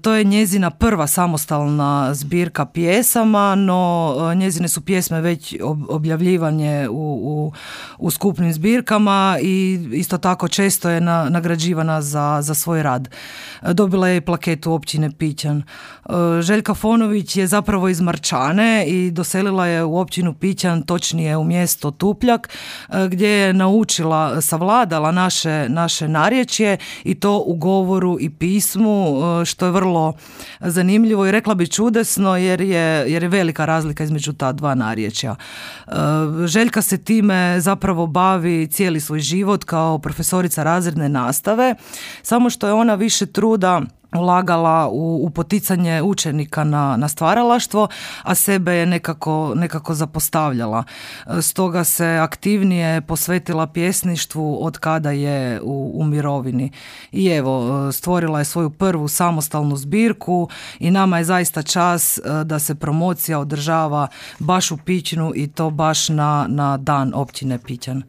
To je njezina prva samostalna zbirka pjesama, no njezine su pjesme već objavljivanje u skupnim zbirkama i isto tako često je nagrađivana za svoj rad. Dobila je i plaketu općine Pićan. Željka Fonović je zapravo iz Marčane i doselila je u općinu Pićan, točnije u mjesto Tupljak, gdje je naučila, savladala naše narječje i to u govoru i pismu, što je vrlo zanimljivo i rekla bi čudesno jer je velika razlika između ta dva narječja. Željka se time zapravo bavi cijeli svoj život kao profesorica razredne nastave, samo što je ona više truda ulagala u poticanje učenika na stvaralaštvo, a sebe je nekako zapostavljala. Stoga se aktivnije posvetila pjesništvu od kada je u mirovini. I evo, stvorila je svoju prvu samostalnu zbirku i nama je zaista čast da se promocija održava baš u Pićnu i to baš na dan općine Pićan.